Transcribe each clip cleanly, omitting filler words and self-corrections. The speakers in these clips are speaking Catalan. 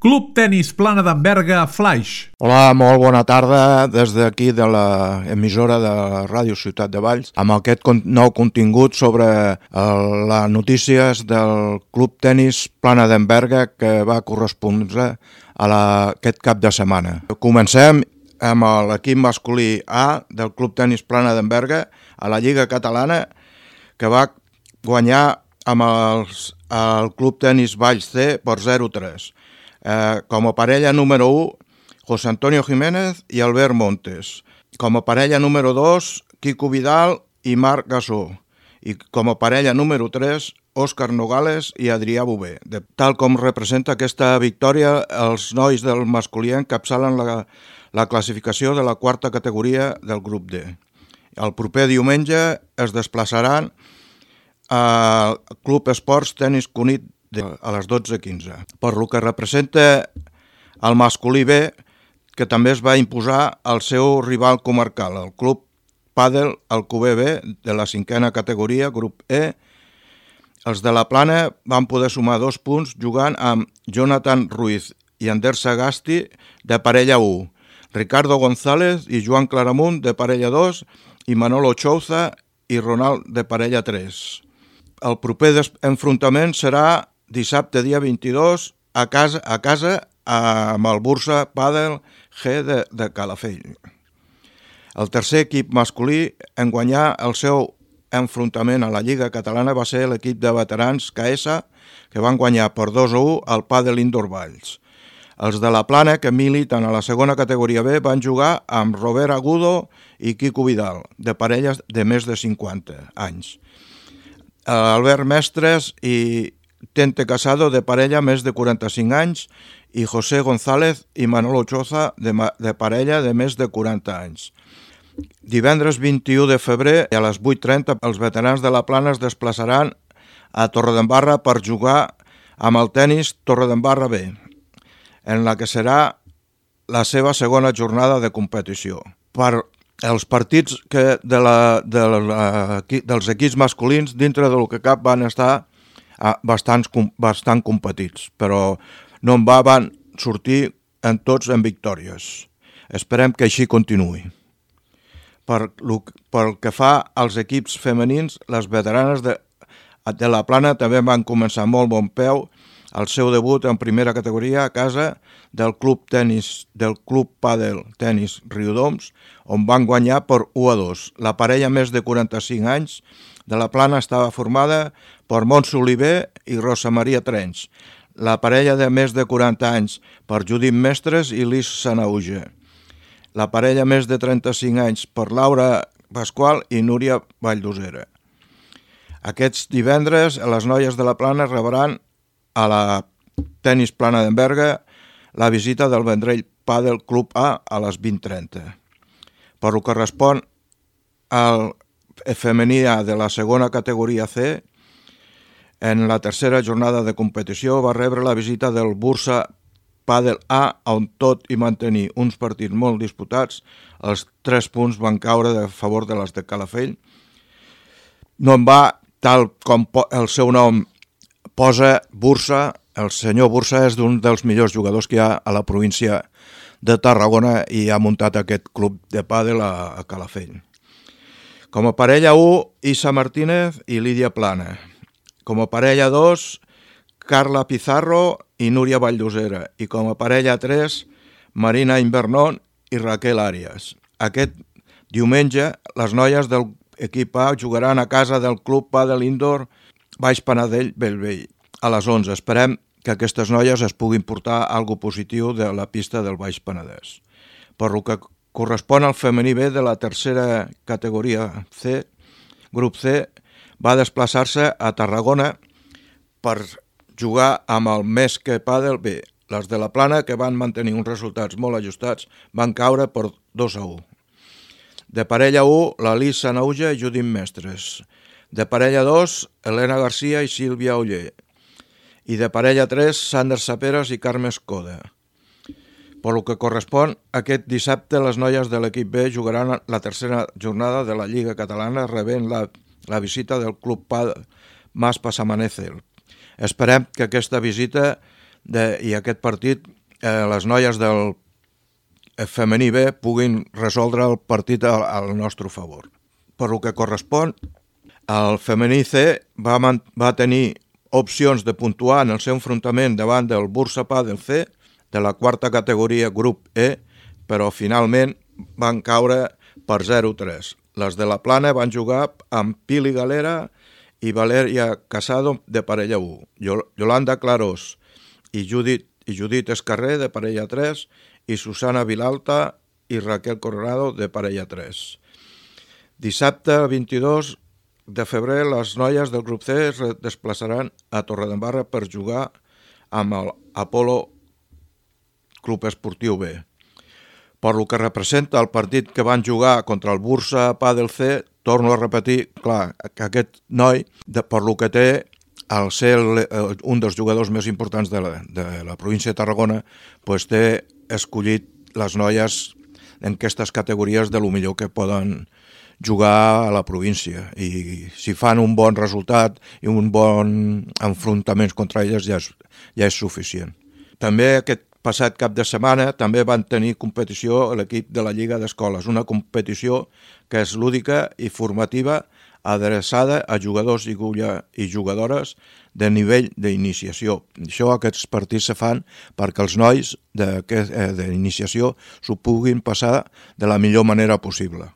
Club Tenis Plana d'en Flaix. Hola, molt bona tarda des d'aquí de l'emissora de Ràdio Ciutat de Valls amb aquest nou contingut sobre les notícies del Club Tenis Plana d'en que va correspondre a aquest cap de setmana. Comencem amb l'equip masculí A del Club Tenis Plana d'en a la Lliga Catalana, que va guanyar amb el Club Tenis Valls C per 0-3. Com a parella número 1, José Antonio Jiménez i Albert Montes. Com a parella número 2, Quico Vidal i Marc Gasó. I com a parella número 3, Òscar Nogales i Adrià Bové. Tal com representa aquesta victòria, els nois del masculí encapçalen la classificació de la quarta categoria del grup D. El proper diumenge es desplaçaran al Club Esports Tenis Cunit a les 12:15. Per lo que representa el masculí B, que també es va imposar el seu rival comarcal, el Club Pàdel Alcover B de la 5a categoria, grup E. Els de la Plana van poder sumar 2 punts jugant amb Jonathan Ruiz i Ander Sagasti de parella 1, Ricardo González i Joan Claramunt de parella 2 i Manolo Chouza i Ronald de parella 3. El proper enfrontament serà dissabte dia 22 a casa amb el Bursa Pàdel G de Calafell. El tercer equip masculí en guanyar el seu enfrontament a la Lliga Catalana va ser l'equip de veterans KS, que van guanyar per 2-1 al Pàdel Indoor Valls. Els de la Plana, que militen a la segona categoria B, van jugar amb Robert Agudo i Quico Vidal, de parelles de més de 50 anys. Albert Mestres i Tente Casado, de parella més de 45 anys, i José González i Manolo Chouza, de parella de més de 40 anys. Divendres 21 de febrer, a les 8:30, els veterans de la Plana es desplaçaran a Torredembarra per jugar amb el tenis Torredembarra B, en la que serà la seva segona jornada de competició. Per els partits dels equips masculins, dintre del que cap, van estar bastant competits, però no en van sortir tots en victòries. Esperem que així continuï. Pel que fa als equips femenins, les veteranes de la Plana també van començar molt bon peu el seu debut en primera categoria a casa del Club Pàdel Tenis Riudoms, on van guanyar per 1-2. La parella més de 45 anys de la Plana estava formada per Montse Oliver i Rosa Maria Trench. La parella de més de 40 anys per Judit Mestres i Lis Sanauge. La parella més de 35 anys per Laura Pasqual i Núria Valldosera. Aquests divendres, les noies de la Plana rebran a la Tenis Plana d'en la visita del Vendrell Pàdel Club A a les 20:30. Per lo que respon al femení A de la segona categoria C, en la tercera jornada de competició va rebre la visita del Bursa Pàdel A, on tot i mantenir uns partits molt disputats, els 3 punts van caure a favor de les de Calafell. No en va, tal com el seu nom posa, Bursa. El senyor Bursa és un dels millors jugadors que hi ha a la província de Tarragona i ha muntat aquest club de pàdel a Calafell. Com a parella 1, Isa Martínez i Lídia Plana. Com a parella 2, Carla Pizarro i Núria Valldosera. I com a parella 3, Marina Invernón i Raquel Arias. Aquest diumenge, les noies del equip A jugaran a casa del Club Pàdel Indoor Baix Penedell Bellvei a les 11. Esperem que aquestes noies es puguin portar alguna positiu de la pista del Baix Penedès. Per lo que correspon al femení B de la tercera categoria C, grup C, va desplaçar-se a Tarragona per jugar amb el Mesque Pàdel B. Les de la Plana, que van mantenir uns resultats molt ajustats, van caure per 2-1. De parella 1, la Lis Sanauge i Judit Mestres. De parella 2, Helena Garcia i Sílvia Oller. I de parella 3, Sander Saperas i Carme Escoda. Per lo que correspon, aquest dissabte les noies de l'equip B jugaran la tercera jornada de la Lliga Catalana rebent la visita del Club Mas Pasamanézer. Esperem que aquesta visita i aquest partit les noies del femení B puguin resoldre el partit al nostre favor. Per lo que correspon, el femení C va tenir opcions de puntuar en el seu enfrontament davant del Bursa Padel C de la quarta categoria grup E, però finalment van caure per 0-3. Les de la Plana van jugar amb Pili Galera i Valeria Casado de parella 1, Yolanda Clarós i Judit Escarrer de parella 3 i Susana Vilalta i Raquel Coronado de parella 3. Dissabte 22 de febrer les noies del grup C es desplaçaran a Torredembarra per jugar amb el Apolo Club Esportiu B. Per lo que representa el partit que van jugar contra el Bursa Padel C, torno a repetir, clar, que aquest noi, per lo que té, al ser un dels jugadors més importants de la província de Tarragona, pues té escollit les noies en aquestes categories de lo millor que poden jugar a la província, i si fan un bon resultat i un bon enfrontaments contra elles ja és suficient. També aquest passat cap de setmana també van tenir competició l'equip de la Lliga d'Escoles, una competició que és lúdica i formativa adreçada a jugadors i jugadores de nivell d'iniciació. Aquests partits se fan perquè els nois d'iniciació s'ho puguin passar de la millor manera possible.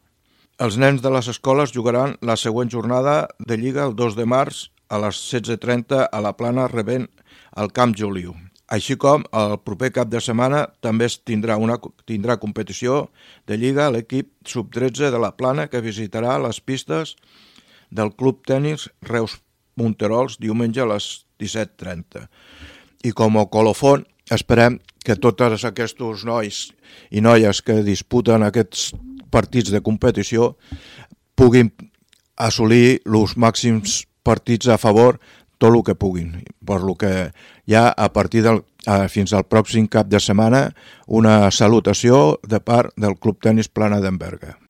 Els nens de les escoles jugaran la següent jornada de Lliga el 2 de març a les 16:30 a la Plana rebent el Camp Joliu. Així com el proper cap de setmana també tindrà competició de Lliga l'equip sub-13 de la Plana que visitarà les pistes del Club Tenis Reus Monterols diumenge a les 17:30. I com a colofon esperem que tots aquests nois i noies que disputen aquests partits de competició puguin assolir els màxims partits a favor tot el que puguin, per lo que ja a partir fins al pròxim cap de setmana una salutació de part del Club Tenis Plana d'en Berga.